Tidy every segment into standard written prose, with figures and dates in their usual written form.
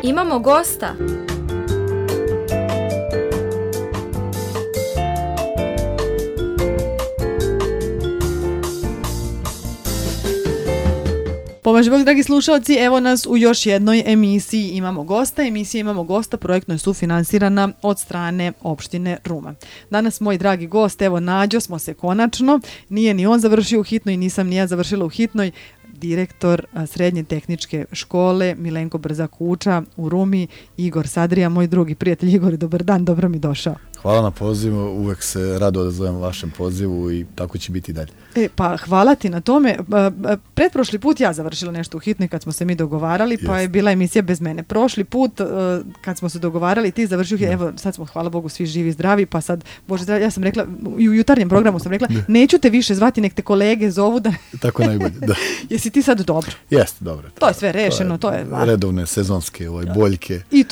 Imamo gosta. Pomaže Bog, dragi slušalci, evo nas u još jednoj emisiji Imamo gosta. Emisija Imamo gosta projektno je sufinansirana od strane opštine Ruma. Danas moj dragi gost, evo nađo smo se konačno, nije ni on završio u hitnoj, nisam ni ja završila u hitnoj, direktor srednje tehničke škole Milenko Brza-Kuča u Rumi, Igor Sadrija, moj drugi prijatelj. Igor, dobar dan, dobro mi došao. Hvala na pozivu, uvek se rado odazovem vašem pozivu i tako će biti dalje. Pa hvala ti na tome. Pretprošli put ja završila nešto u hitnoj kad smo se mi dogovarali, pa je bila emisija bez mene. Prošli put kad smo se dogovarali ti završio, evo sad smo hvala Bogu svi živi i zdravi, pa sad, Bože zdravi, ja sam rekla, i u jutarnjem programu sam rekla, neću te više zvati, nek te kolege zovu da... Tako najbolje, da. Jesi ti sad dobro? Jeste, dobro. To je sve rešeno, to je redovne sezonske boljke. I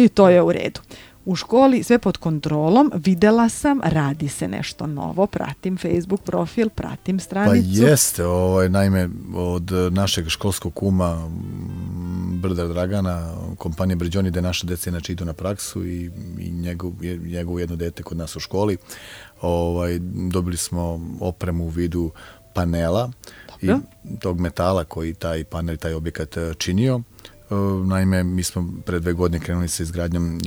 to je u redu. U školi sve pod kontrolom, videla sam, radi se nešto novo, pratim Facebook profil, pratim stranicu. Pa jeste, naime od našeg školskog kuma Brda Dragana, kompanije Brđoni, gde naša deca inače idu na praksu i njegovo jedno dete kod nas u školi, dobili smo opremu u vidu panela i tog metala koji taj panel, taj objekat činio. Naime, mi smo pre 2 godine krenuli sa izgradnjom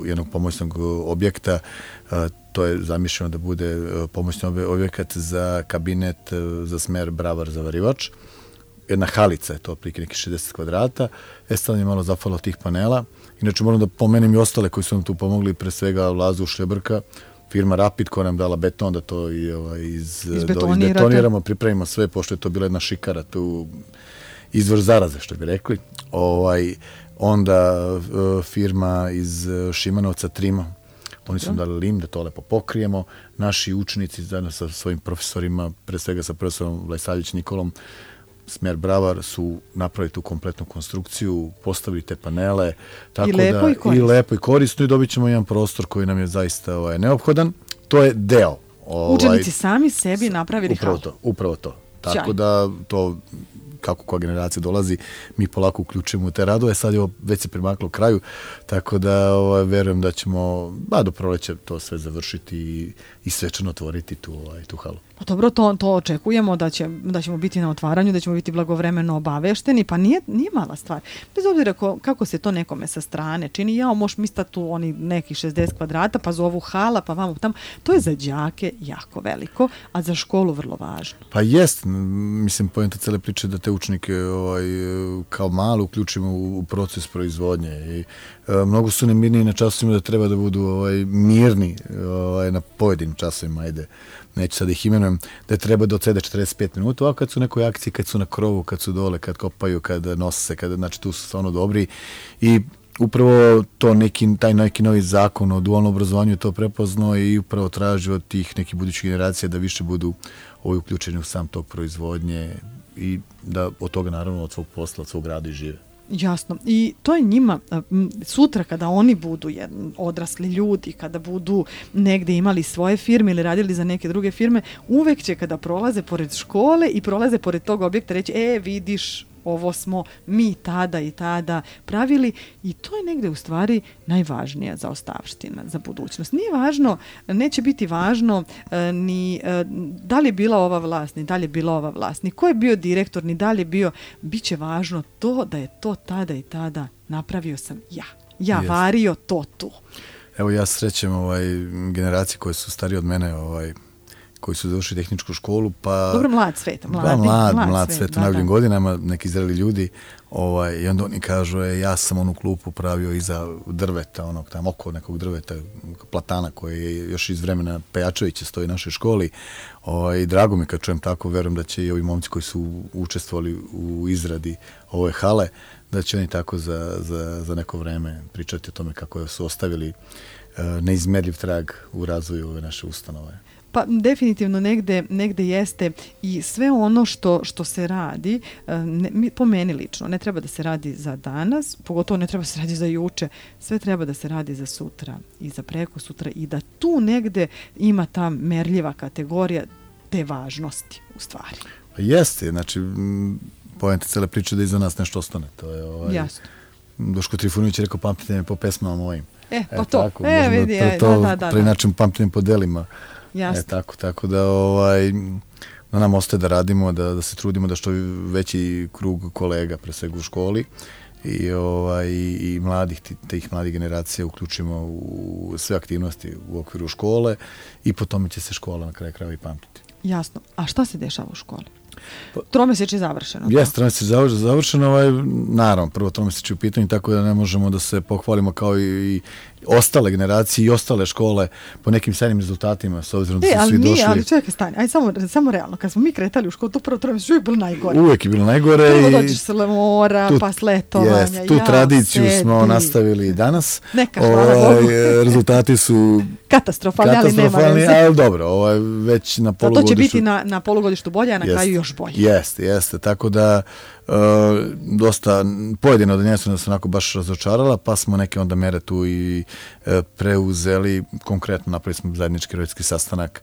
jednog pomoćnog objekta. To je zamišljeno da bude pomoćni objekat za kabinet za smer bravar-zavarivač. Jedna halica je to, otprilike neki 60 kvadrata. Sad je malo zafalo tih panela. Inače, moram da pomenem i ostale koji su nam tu pomogli, pre svega Lazu Šljebrka, firma Rapid koja nam dala beton da to izbetoniramo, pripremimo sve, pošto je to bila jedna šikara tu, izvor zaraze, što bi rekli. Onda firma iz Šimanovca Trima, oni su dali lim da to lepo pokrijemo. Naši učenici zajedno sa svojim profesorima, pre svega sa profesorom Vlajsavljević Nikolom, smer Bravar, su napravili tu kompletnu konstrukciju, postavili te panele. Tako I lepo i korisno i dobit ćemo jedan prostor koji nam je zaista neophodan. To je deo. Učenici sami sebi napravili halu. Upravo to. Tako da to... kako koja generacija dolazi, mi polako uključujemo u te radove. Sad je već se primaklo kraju, tako da verujem da ćemo do proleća to sve završiti i svečano otvoriti tu halu. Pa dobro, to očekujemo da ćemo biti na otvaranju, da ćemo biti blagovremeno obavešteni, pa nije mala stvar. Bez obzira kako se to nekome sa strane čini, možeš misliti tu oni neki 60 kvadrata, pa zovu hala, pa vamo tamo. To je za đake jako veliko, a za školu vrlo važno. Pa jest, mislim, poenta cele priče da te učenike kao malo uključimo u proces proizvodnje i mnogo su nemirniji na časovima da treba da budu mirni na pojedinim časovima, neću sad ih imenujem, da treba da odsede 45 minuta, a kad su u nekoj akciji, kad su na krovu, kad su dole, kad kopaju, kad nose, znači tu su stvarno dobri i upravo to taj neki novi zakon o dualnom obrazovanju je to prepoznao i upravo traži od tih nekih budućih generacija da više budu uključeni u sam tog proizvodnje i da od toga naravno od svog posla, od svog rada i žive. Jasno. I to je njima sutra kada oni budu odrasli ljudi, kada budu negde imali svoje firme ili radili za neke druge firme, uvek će kada prolaze pored škole i prolaze pored tog objekta reći, vidiš, ovo smo mi tada i tada pravili i to je negde u stvari najvažnija zaostavština za budućnost. Nije važno, neće biti važno ni da li je bila ova vlast, ni da li je bila ova vlast, ni ko je bio direktor, ni da li je bio, bit će važno to da je to tada i tada napravio sam ja. Ja vario to tu. Evo ja srećem generacije koje su starije od mene, koji su završili tehničku školu, pa... Dobro, mlad svet, mlad svet u najboljim godinama, neki zreli ljudi, i onda oni kažu, ja sam onu klupu pravio iza drveta, oko nekog drveta, platana koji je još iz vremena Pejačevića stoji u našoj školi, i drago mi kad čujem tako, verujem da će i ovi momci koji su učestvovali u izradi ove hale, da će oni tako za neko vreme pričati o tome kako su ostavili neizmerljiv trag u razvoju ove naše ustanove. Pa definitivno negde jeste i sve ono što se radi, po meni lično, ne treba da se radi za danas, pogotovo ne treba da se radi za juče, sve treba da se radi za sutra i za preko sutra i da tu negde ima ta merljiva kategorija te važnosti u stvari. Jeste, znači poenta cele priče da iza nas nešto ostane. To je jasno. Duško Trifunović je rekao pamtite me po pesmama mojim. Pa to. Tako, vidi, da. Preinačim pamtim po delima. Jasno. Tako da na nam ostaje da radimo, da se trudimo da što veći krug kolega, pre svega u školi, i mladih, tih mladih generacija uključimo u sve aktivnosti u okviru škole i po tome će se škola na kraju krajeva i pamtiti. Jasno. A šta se dešava u školi? Tromesečje je završeno. Jeste, tromesečje je završeno, naravno, prvo tromesečje u pitanju, tako da ne možemo da se pohvalimo kao i ostale generacije i ostale škole po nekim sjajnim rezultatima, s obzirom da su svi došli. Ali čekaj, stani, aj samo realno, kad smo mi kretali u školu, to prvo tromesečje uvijek bilo najgore. Uvijek je bilo najgore. Prvo dođeš s mora, pa s letovanja. Tu tradiciju smo nastavili i danas. Neka, hvala Bogu. Rezultati su katastrofalni, ali nema veze. Ali dobro, već na polugodištu. To će biti na polugodištu bolje, a na kraju još bolje. Jeste, tako da dosta pojedine odeljenja su nas onako baš razočarala, pa smo neke onda mere tu i preuzeli. Konkretno napravili smo zajednički roditeljski sastanak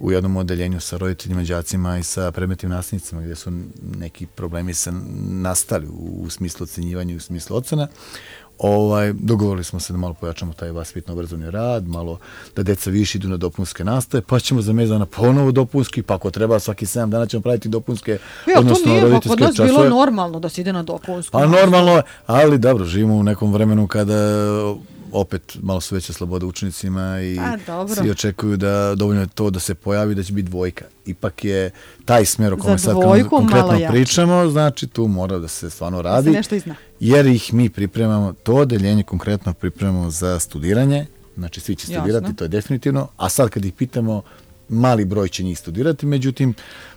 u jednom odeljenju sa roditeljima, đacima i sa predmetnim nastavnicima gdje su neki problemi se nastali u smislu ocenjivanja i u smislu ocena. Dogovorili smo se da malo pojačamo taj vaspitno-obrazovni rad, malo da deca više idu na dopunske nastave, pa ćemo za mjesec dana ponovo dopunski, pa ako treba svaki 7 dana ćemo praviti dopunske, odnosno roditeljske časove. Kod nas bilo normalno da se ide na dopunsku. A normalno, ali dobro, živimo u nekom vremenu kada opet malo su veće slobode učenicima i svi očekuju da dovoljno je to da se pojavi da će biti dvojka. Ipak je taj smjer o kome sad konkretno pričamo, znači tu mora da se stvarno radi, da se nešto izna. Jer ih mi pripremamo, to odeljenje konkretno pripremamo za studiranje, znači svi će studirati, jasno. To je definitivno, a sad kad ih pitamo, mali broj će njih studirati, međutim,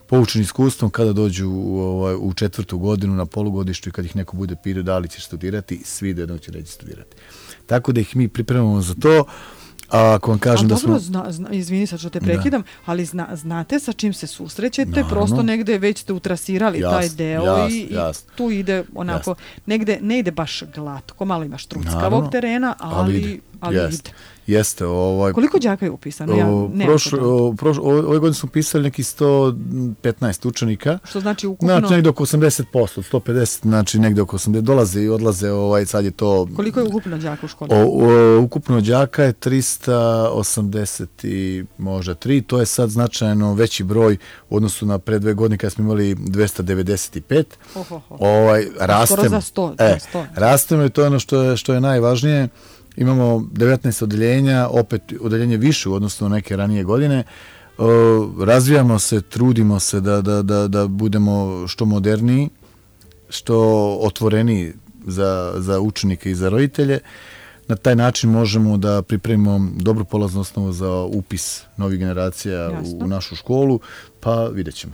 poučeni iskustvom kada dođu u 4. godinu na polugodištu i kad ih neko bude pitao da li će studirati, svi do jednog će reći studirati. Tako da ih mi pripremamo za to. A ako vam kažem da smo... Izvini sad što te prekidam, ali znate sa čim se susrećete, naravno. Prosto negde već ste utrasirali taj deo i tu ide onako, negde ne ide baš glatko, malo imaš truckavog terena, ali ide. Jeste. Koliko đaka je upisano? Ove godine smo upisali neki 115 učenika. Što znači ukupno? Znači negde oko 80%, 150, znači negde oko 80, dolaze i odlaze, sad je to... Koliko je ukupno đaka u školi? Ukupno đaka je 380 i možda 3, to je sad značajno veći broj u odnosu na pre 2 godine kada smo imali 295. Rastemo. Skoro za 100. Rastemo i to je ono što je najvažnije. Imamo 19 odeljenja, opet odeljenje više u odnosu na neke ranije godine. Razvijamo se, trudimo se da budemo što moderniji, što otvoreniji za učenike i za roditelje. Na taj način možemo da pripremimo dobru polaznu osnovu za upis novih generacija u našu školu, pa vidjet ćemo.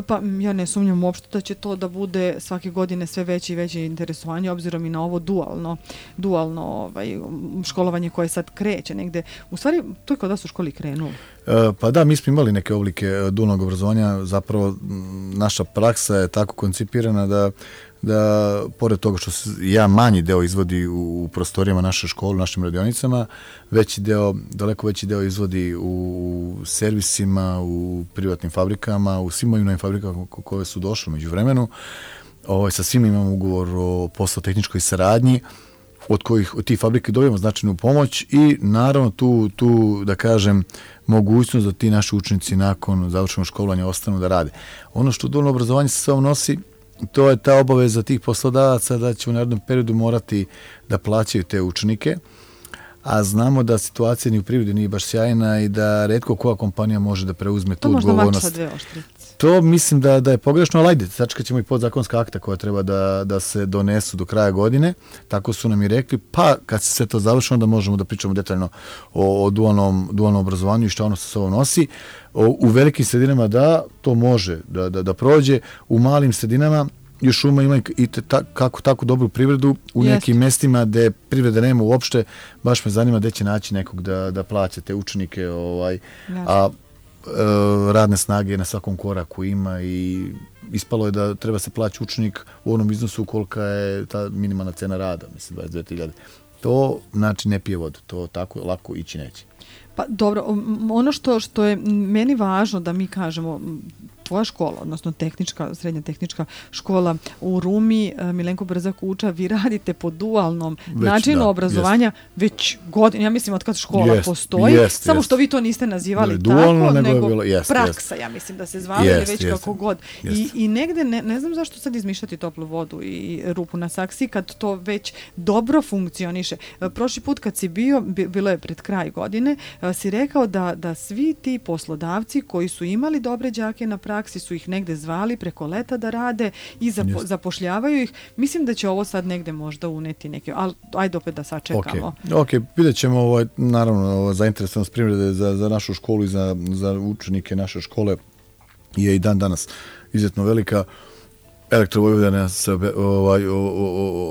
Pa ja ne sumnjam uopšte da će to da bude svake godine sve veće i veće interesovanje, obzirom i na ovo dualno školovanje koje sad kreće negde. U stvari, to je kod vas u školi krenulo? Pa da, mi smo imali neke oblike dualnog obrazovanja. Zapravo, naša praksa je tako koncipirana da pored toga što se manji deo izvodi u prostorijama naše škole, u našim radionicama, daleko veći deo izvodi u servisima, u privatnim fabrikama, u svim ovim fabrikama koje su došle među vremenu. Sa svima imamo ugovor o poslo-tehničkoj saradnji, od tih fabrike dobijemo značajnu pomoć i naravno tu da kažem, mogućnost da ti naši učenici nakon završenog školovanja ostanu da rade. Ono što dualno obrazovanje sa sobom nosi, to je ta obaveza tih poslodavaca da će u narednom periodu morati da plaćaju te učenike, a znamo da situacija ni u privredi nije baš sjajna i da retko koja kompanija može da preuzme tu odgovornost. To možda mač sa 2 oštrice. To mislim da je pogrešno, ali ajde, sačekat ćemo i podzakonska akta koja treba da se donesu do kraja godine, tako su nam i rekli, pa kad se sve to završi, onda možemo da pričamo detaljno o dualnom obrazovanju i što ono sa sobom nosi. U velikim sredinama to može da prođe, u malim sredinama još ima i tako dobru privredu u nekim mestima gde privreda nema uopšte, baš me zanima gde će naći nekog da plaća te učenike, a radne snage na svakom koraku ima i ispalo je da treba se plaći učenik u onom iznosu kolika je ta minimalna cena rada, mislim 22.000. To znači ne pije vodu, to tako lako ići neće. Pa dobro, ono što je meni važno da mi kažemo, tvoja škola, odnosno srednja tehnička škola u Rumi, Milenko Brza-Kuča, vi radite po dualnom načinu obrazovanja već godina, ja mislim od kad škola postoji, samo što vi to niste nazivali tako, nego praksa, ja mislim da se zvala ili već kako god. I negde, ne znam zašto sad izmišljati toplu vodu i rupu na saksiji kad to već dobro funkcioniše. Prošli put kad si bilo je pred kraj godine, si rekao da svi ti poslodavci koji su imali dobre đake na praksi su ih negde zvali preko leta da rade i zapošljavaju ih. Mislim da će ovo sad negde možda uneti neke, ali ajde opet da sačekamo. Ok, vidjet ćemo naravno zainteresovanost privrede za našu školu i za učenike naše škole je i dan danas izuzetno velika. Elektrovojvodina se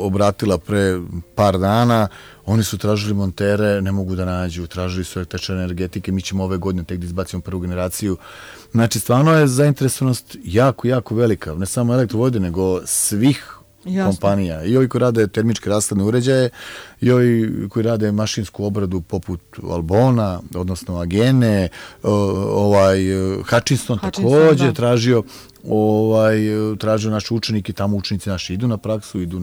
obratila pre par dana, oni su tražili montere, ne mogu da nađu, tražili su električne energetike, mi ćemo ove godine tek da izbacimo prvu generaciju. Znači, stvarno je zainteresovanost jako, jako velika, ne samo Elektrovojvodine, nego svih kompanija. I ovi koji rade termičke rashladne uređaje, i ovi koji rade mašinsku obradu poput Albona, odnosno Agene, Hutchinson također tražio naši učenike, tamo učenici naši idu na praksu, idu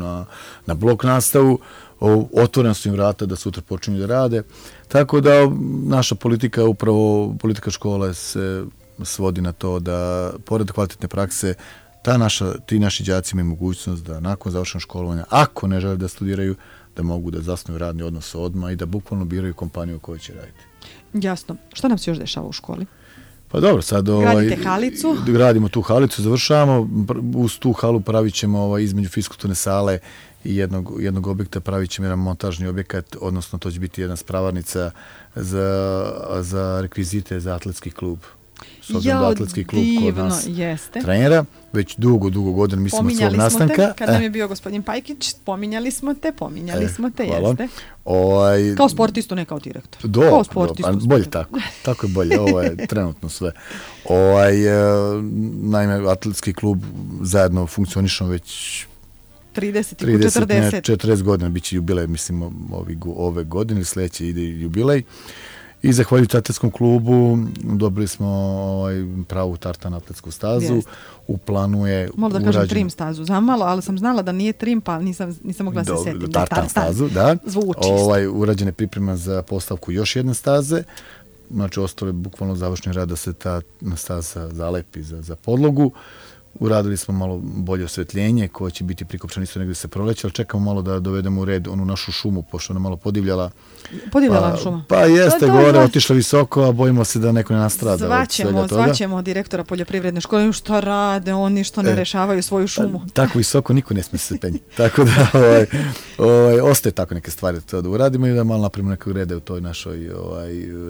na blok nastavu, otvorena su im vrata da sutra počinju da rade. Tako da naša politika, upravo politika škola se svodi na to da, pored kvalitetne prakse, ti naši đaci imaju mogućnost da nakon završenog školovanja, ako ne žele da studiraju, da mogu da zasnuju radni odnos odmah i da bukvalno biraju kompaniju u kojoj će raditi. Jasno. Šta nam se još dešava u školi? Pa dobro, sad gradite halicu? Gradimo tu halicu, završavamo. Uz tu halu pravit ćemo između fiskulturne sale i jednog objekta pravit ćemo jedan montažni objekat, odnosno to će biti jedna spravarnica za rekvizite za atletski klub. S obzirom da atletski klub kod nas trenera, već dugo godina, mislim od svog nastanka. Kad nam je bio gospodin Pajkić, pominjali smo te, jeste. Kao sportistu, ne kao direktor. Kao sportistu. Bolje tako. Tako je bolje. Ovo je trenutno sve. Naime, atletski klub zajedno funkcionišemo već 40 godina. Biće jubilej, mislim, ove godine ili sljedeće ide jubilej. I zahvaljujući atletskom klubu dobili smo pravu tartan atletsku stazu. U planu je možda da kažem trim stazu zamalo, ali sam znala da nije trim, pa nisam mogla se setiti. Tartan stazu, da. Zvuči. Urađena je priprema za postavku još jedne staze. Znači, ostalo je bukvalno završni rad da se ta staza zalepi za podlogu. Uradili smo malo bolje osvetljenje koje će biti prikopčano isto negdje se proleće, ali čekamo malo da dovedemo u red onu našu šumu, pošto ona malo podivljala. Podivljala šuma? Pa jeste, gore, otišla visoko, a bojimo se da neko ne nastrada. Zvaćemo direktora poljoprivredne škole, što rade, oni što ne rešavaju svoju šumu. Tako visoko niko ne smije se penjiti. Tako da ostaje tako neke stvari da uradimo i da malo napravimo nekog reda u toj našoj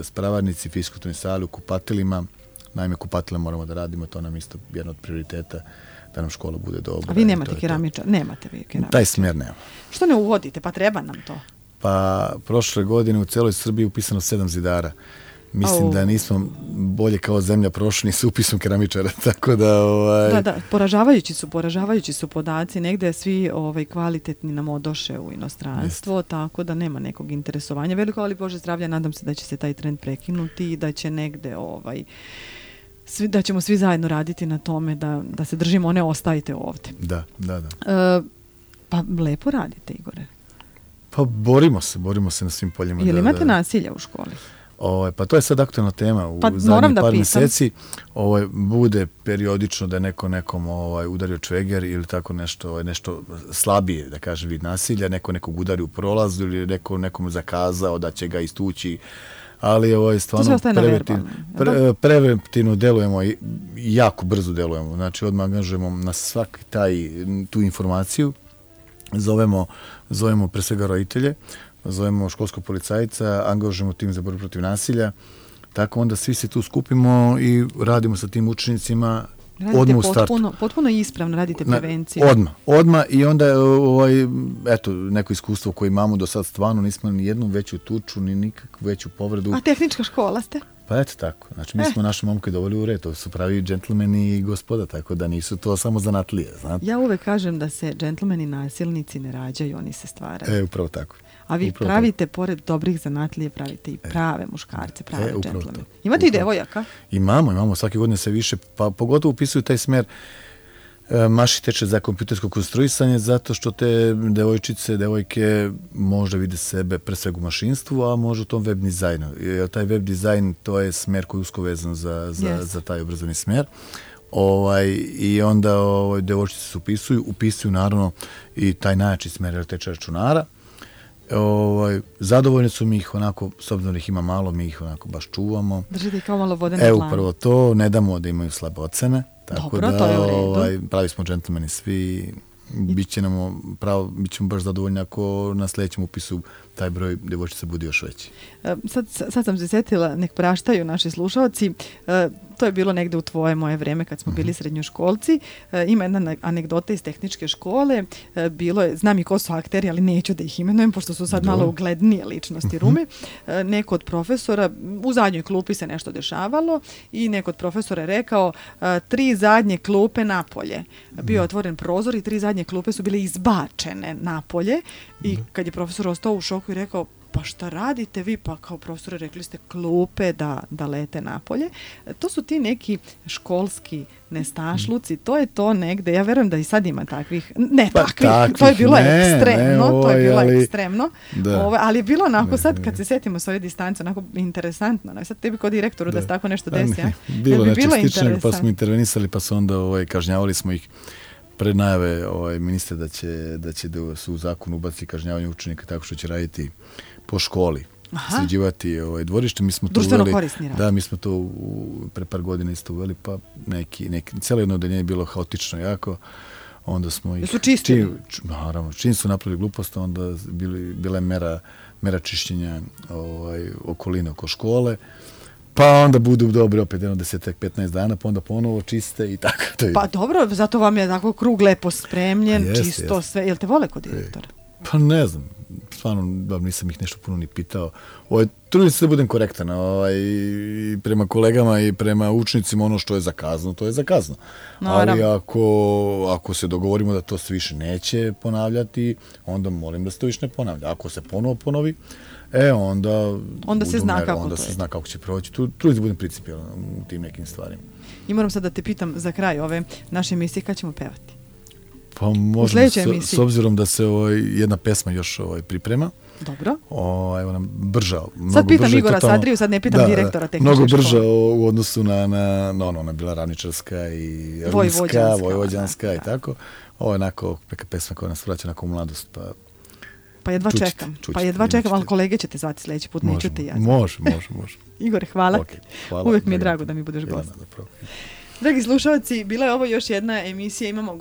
spravarnici, fiskulturnoj sali, u kupatilima. Naime, kupatile moramo da radimo, to nam isto jedan od prioriteta da nam škola bude dobra. A vi nemate keramičar? Nemate vi keramičar? Taj smjer nema. Što ne uvodite? Pa treba nam to. Pa prošle godine u celoj Srbiji upisano 7 zidara. Mislim da nismo bolje kao zemlja prošli s upisom keramičara, tako da... Da, poražavajući su podaci, negde svi kvalitetni nam odoše u inostranstvo, tako da nema nekog interesovanja. Veliko, ali Bože zdravlja, nadam se da će se taj trend prekinuti i da će negde da ćemo svi zajedno raditi na tome da se držimo, ne ostajte ovde. Da. Pa lepo radite, Igore. Pa borimo se na svim poljima. Jel imate nasilja u školi? Pa to je sad aktualna tema u zadnjih par mjeseci. Bude periodično da je neko nekom udario čveger ili tako nešto slabije, da kažem, vid nasilja, nekog udari u prolazu ili neko nekom zakazao da će ga istući, ali stvarno preventivno delujemo i jako brzo delujemo. Znači odmah angažujemo na svaki tu informaciju, zovemo pre svega roditelje, zovemo školskog policajca, angažujemo tim za borbu protiv nasilja, tako onda svi se tu skupimo i radimo sa tim učenicima odmah u startu. Potpuno ispravno radite prevenciju. Odmah i onda eto, neko iskustvo koje imamo do sad, stvarno nismo ni jednu veću tuču, ni nikakvu veću povredu. A tehnička škola ste? Pa eto tako. Znači, mi smo naše momke doveli u red. To su pravi džentlmeni i gospoda, tako da nisu to samo zanatlije, znate. Ja uvek kažem da se džentlmeni nasilnici ne rađaju, oni se stvaraju. Upravo tako. A vi upravo pravite, pored dobrih zanatlije, pravite i prave muškarce, prave džentlmene. Imate upravo. I devojaka? Imamo. Svake godine se više, pa pogotovo upisuju taj smer Maši teče za kompjutersko konstruisanje, zato što te devojke možda vide sebe pre svega u mašinstvu, a možda u tom web dizajnu. Jer taj web dizajn, to je smer koji je usko vezan za taj obrazovni smer. I onda devojčice se upisuju naravno i taj najjači smer teče računara. Zadovoljni su mi ih onako, s obzirom da ih ima malo, mi ih onako baš čuvamo. Držite ih kao malo vode na dlanu. Upravo to, ne damo da imaju slabe ocene. Tako dobro, da, to je u redu. Pravi smo džentlmeni svi, bit ćemo baš zadovoljni ako na sljedećem upisu taj broj devojčica bude još veći. Sad sam se sjetila, nek praštaju naši slušalci, to je bilo negde u tvoje moje vreme kad smo bili srednjoškolci. Ima jedna anegdota iz tehničke škole, bilo je, znam i ko su akteri, ali neću da ih imenujem, pošto su sad malo uglednije ličnosti Rume. Neko od profesora, u zadnjoj klupi se nešto dešavalo i neko od profesora je rekao 3 zadnje klupe napolje. Bio je otvoren prozor i 3 zadnje klupe su bile izbačene napolje i kad je profesor ostao u šoku i rekao, pa šta radite vi? Pa kao profesore rekli ste klupe da lete napolje. To su ti neki školski nestašluci, to je to negde, ja verujem da i sad ima takvih, to je bilo ekstremno, ali je bilo onako sad kad se setimo s ove distance, onako interesantno, sad tebi kao direktoru da se tako nešto desi, bilo nečeg sličnog, pa smo intervenisali, pa su onda kažnjavali smo ih pred najave ministra da će su u zakonu ubaciti kažnjavanje učenika tako što će raditi po školi, sređivati dvorište. Mi smo društveno korisni rad. Da, mi smo to pre par godina isto uveli, pa cijelo jedno odeljenje je bilo haotično jako. Onda smo ih... Su čistili? Naravno, čim su napravili glupost, onda bila je mera čišćenja okoline oko škole. Pa onda budu dobri opet 10-15 dana, pa onda ponovo čiste i tako. Pa dobro, zato vam je tako krug lepo spremljen, čisto sve. Jel te vole kod direktora? Pa ne znam, stvarno nisam ih nešto puno ni pitao. Trudim se da budem korektan i prema kolegama i prema učnicima, ono što je zakazano, to je zakazano. Ali ako se dogovorimo da to se više neće ponavljati, onda molim da se to više ne ponavlja. Ako se ponovo ponovi, onda se zna kako će proći. Trudim se budem principijalan u tim nekim stvarima. I moram sad da te pitam za kraj ove naše emisije, kad ćemo pevati? Pa možemo, s obzirom da se jedna pesma još priprema. Dobro. Evo nam brža. Sad pitam Igora Sadriju, sad ne pitam direktora tehničke škole. Mnogo brža u odnosu ona je bila ravničarska i rimska, vojvođanska i tako. Ovo je onako neka pesma koja nas vraća onako u mladost, pa jedva čekam, ali kolege ćete zvati sljedeći put, neću te ja. Može. Igor, hvala. Uvijek mi je drago da mi budeš gost. Dragi slušalci, bila je ovo još jedna emisija Imamo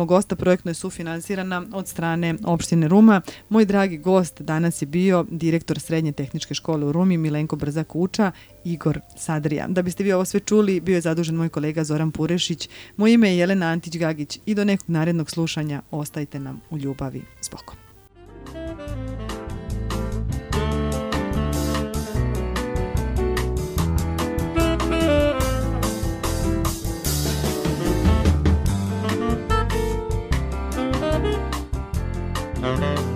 gosta, projektno je sufinansirana od strane opštine Ruma. Moj dragi gost danas je bio direktor Srednje tehničke škole u Rumi, Milenko Brzak-Uča, Igor Sadrija. Da biste vi ovo sve čuli, bio je zadužen moj kolega Zoran Purešić. Moje ime je Jelena Antić-Gagić i do nekog narednog slušanja ostajte nam u ljubavi s Bogom. Mm-hmm.